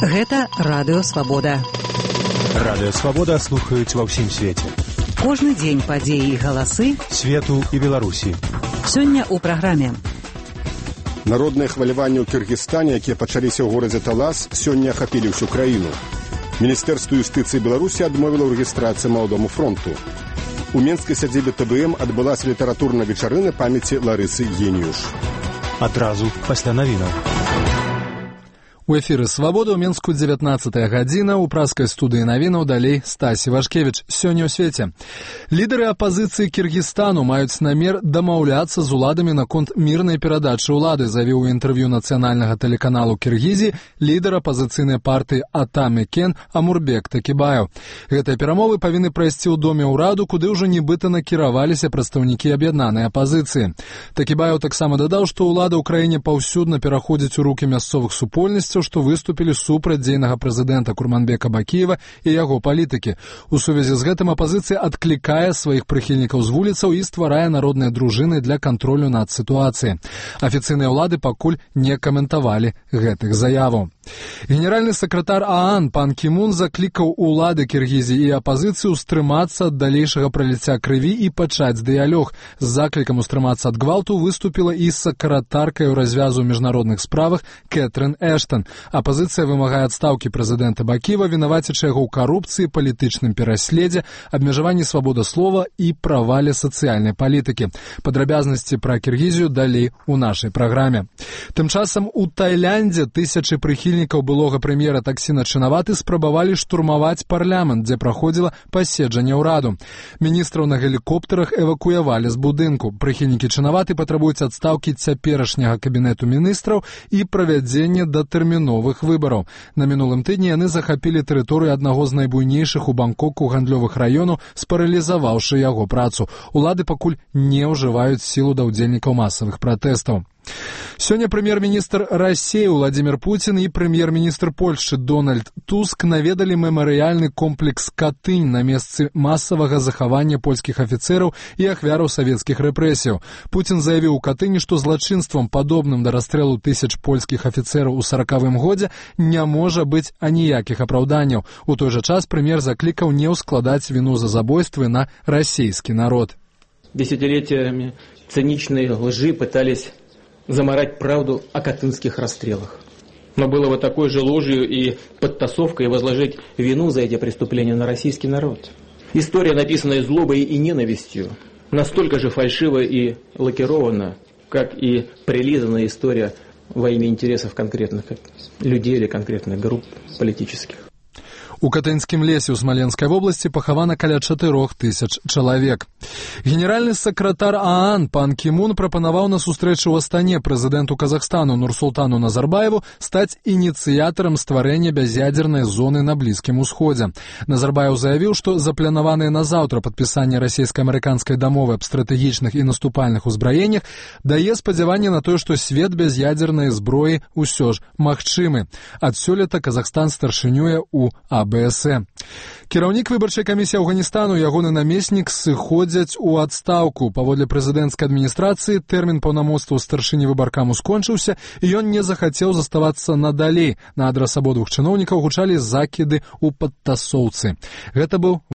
Гэта Радыё Свабода. Радыё Свабода слухаюць ва ўсім свеце. Кожны дзень падзеі і галасы свету і Беларусі. Сёння ў праграме. Народныя хваляванні ў Кыргызстане, якія пачаліся ў горадзе Талас, сёння ахапілі ўсю краіну. Міністэрства юстыцыі Беларусі адмовіла ў рэгістрацыі Маладому фронту. У менскай сядзібе ТБМ адбылася літаратурная вечарына памяці Ларысы Геніюш. Адразу пасля навінаў. У эфіры «Свабода» ў Менску 19-я гадзіна, у праскай студыі навінаў далей Стасі Вашкевіч. Сёння ў свеце. Лідары апазіцыі Кіргізстану маюць намер дамаўляцца з уладамі наконт мірнай перадачы ўлады, заявіў у інтэрв'ю нацыянальнага тэлеканалу Кіргізіі лідар апазіцыйнай партыі Атамекен Амурбек Такібаев. Гэтыя перамовы павінны прайсці ў доме ўраду, куды ўжо нібыта накіраваліся прадстаўнікі аб'яднанай апазіцыі. Такібаев таксама дадаў, што ўлада ў краіне паўсюдна пераходзіць у рукі мясцовых супольнасцяў, што выступілі супраць дзейнага прэзідэнта Курманбека Бакіева і яго палітыкі. У сувязі з гэтым апазіцыя адклікае сваіх прыхільнікаў з вуліцаў і стварае народныя дружыны для кантролю над сітуацыяй. Афіцыйныя ўлады пакуль не каментавалі гэтых заяваў. Генеральны сакратар ААН пан Кімун заклікаў улады Кіргізіі і апазіцыю стрымацца ад далейшага праліцця крыві і пачаць дыялог. З заклікам устрымацца ад гвалту выступіла і сакратаркай развязу ў міжнародных справах Кэтрын Эштон. Апазіцыя вымагае адстаўкі прэзідэнта Бакіева, вінавацячы яго ў карупцыі, палітычным пераследзе, абмежаванні свабоды слова і правале сацыяльнай палітыкі. Падрабязнасці пра Кіргізію далей у нашай праграме. Тым часам у Тайляндзе тысячы прыхільнікаў былога прэм'ера Таксіна Чынаваты спрабавалі штурмаваць парламент, дзе праходзіла паседжанне ўраду. Міністраў на гелікоптарах эвакуявалі з будынку. Прыхільнікі Чынаваты патрабуюць адстаўкі цяперашняга кабінету міністраў і правядзення датэрміновых выбараў. На мінулым тыдні яны захапілі тэрыторыю аднаго з найбуйнейшых у Бангкоку гандлёвых раёнаў, спаралізаваўшы яго працу. Улады пакуль не ўжываюць сілу да ўдзельнікаў масавых пратэстаў. Сёння прэм'ер-міністр Расіі Владзімір Пуцін і прэм'ер-міністр Польшчы Дональд Туск наведалі мемарыяльны комплекс Катынь на месцы масавага захавання польскіх афіцэраў і ахвяраў савецкіх рэпрэсіяў. Пуцін заявіў у Катыні, што злачынствам, падобным да расстрэлу тысяч польскіх афіцэраў у 40-м годзе, не можа быць аніякіх апраўданняў. У той жа час прэм'ер заклікаў не ўскладаць віну за забойствы на расійскі народ. Десятилетиями циничной лжи пытались замарать правду о катынских расстрелах. Но было бы такой же ложью и подтасовкой возложить вину за эти преступления на российский народ. История, написанная злобой и ненавистью, настолько же фальшива и лакирована, как и прилизанная история во имя интересов конкретных людей или конкретных групп политических. У Катынскім лесе ў Смаленскай вобласці пахавана каля 4000 чалавек. Генеральны сакратар ААН пан Кімун прапанаваў на сустрэчу ў Астане прэзідэнту Казахстану Нурсултану Назарбаеву стаць ініцыятарам стварэння бяз'ядзернай зоны на Блізкім Усходзе. Назарбаев заявіў, што запланаванае на заўтра падпісанне расійска-амерыканскай дамовы аб стратэгічных і наступальных узбраеннях дае спадзяванне на тое, што свет без ядзернай зброі ўсё ж магчымы. Ад сёлета Казахстан старшынюе ў АБС. Кіраўнік выбарчай камісіі Афганістану і ягоны намеснік сыходзяць у адстаўку. Паводле прэзідэнцкай адміністрацыі тэрмін паўнамоцтваў старшыні выбаркаму скончыўся, і ён не захацеў заставацца надалей. На адрас абодвух чыноўнікаў гучалі закіды ў падтасоўцы. Гэта быў